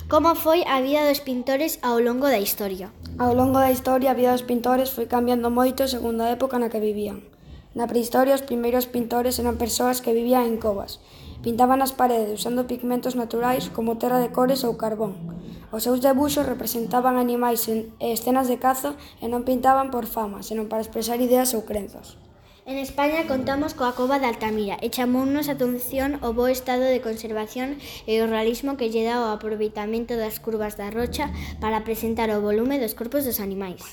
Como foi a vida dos pintores ao longo da historia? Ao longo da historia, a vida dos pintores foi cambiando moito segundo a época na que vivían. Na prehistoria, os primeiros pintores eran persoas que vivían en covas. Pintaban as paredes usando pigmentos naturais como terra de cores ou carbón. Os seus debuxos representaban animais e escenas de caza e non pintaban por fama, senón para expresar ideas ou crenzas. En España contamos coa cova de Altamira e chamounos a atención o bo estado de conservación e o realismo que lle dá o aproveitamento das curvas da rocha para presentar o volume dos corpos dos animais.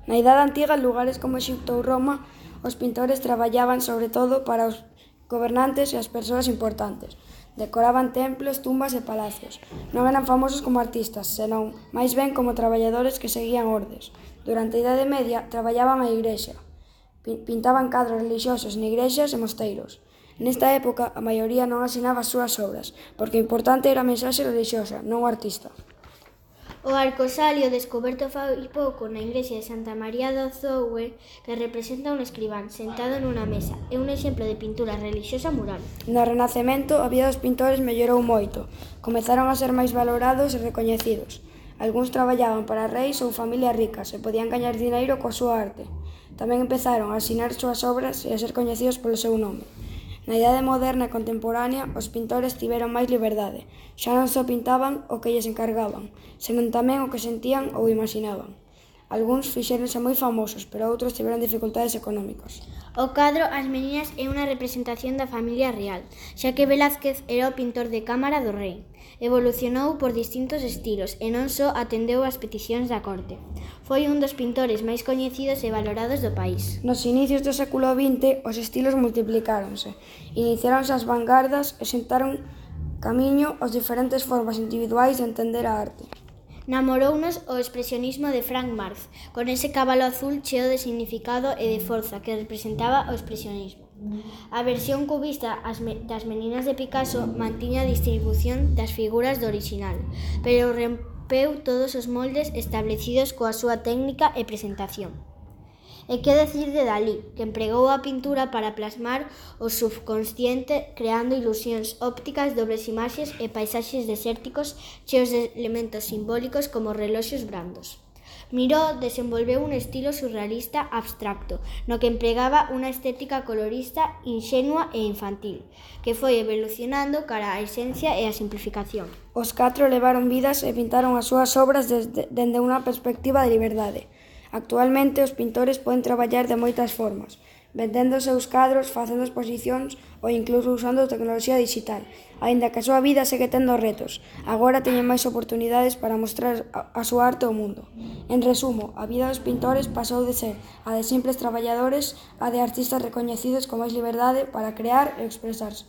Na Idade Antiga, en lugares como Exipto ou Roma, os pintores traballaban sobre todo para os gobernantes e as persoas importantes. Decoraban templos, tumbas e palacios. Non eran famosos como artistas, senón máis ben como traballadores que seguían ordes. Durante a Idade Media, traballaban a igrexa. Pintaban cadros relixiosos en igrexas e mosteiros. Nesta época, a maioría non asinaba as súas obras, porque o importante era a mensaxe relixiosa, non o artista. O arcosalio descoberto fai pouco na igrexa de Santa María do Zoue, que representa un escribán sentado nunha mesa, é un exemplo de pintura relixiosa mural. No Renacemento, a vida dos pintores mellorou moito. Comezaron a ser máis valorados e recoñecidos. Algúns traballaban para reis ou familias ricas e podían gañar dineiro coa súa arte. Tamén empezaron a asinar súas obras e a ser coñecidos polo seu nome. Na idade moderna e contemporánea, os pintores tiveron máis liberdade. Xa non só pintaban o que lles encargaban, senón tamén o que sentían ou imaginaban. Algúns fixéronse moi famosos, pero outros tiveron dificultades económicas. O cadro As meninas é unha representación da familia real, xa que Velázquez era o pintor de cámara do rei. Evolucionou por distintos estilos e non só atendeu as peticións da corte. Foi un dos pintores máis coñecidos e valorados do país. Nos inicios do século XX, os estilos multiplicáronse. Iniciáronse as vanguardas e sentaron camiño as diferentes formas individuais de entender a arte. Namorounos o expresionismo de Frank Marz, con ese cabalo azul cheo de significado e de forza que representaba o expresionismo. A versión cubista das meninas de Picasso mantiña a distribución das figuras do orixinal, pero rompeu todos os moldes establecidos coa súa técnica e presentación. E que decir de Dalí, que empregou a pintura para plasmar o subconsciente creando ilusións ópticas, dobles imaxes e paisaxes desérticos cheos de elementos simbólicos como reloxos brandos. Miró desenvolveu un estilo surrealista abstracto, no que empregaba unha estética colorista, inxenua e infantil, que foi evolucionando cara á esencia e á simplificación. Os catro levaron vidas e pintaron as súas obras dende unha perspectiva de liberdade. Actualmente, os pintores poden traballar de moitas formas, vendendo os seus cadros, facendo exposicións ou incluso usando tecnoloxía digital, aínda que a súa vida segue tendo retos. Agora teñen máis oportunidades para mostrar a súa arte ao mundo. En resumo, a vida dos pintores pasou de ser a de simples traballadores a de artistas recoñecidos con máis liberdade para crear e expresarse.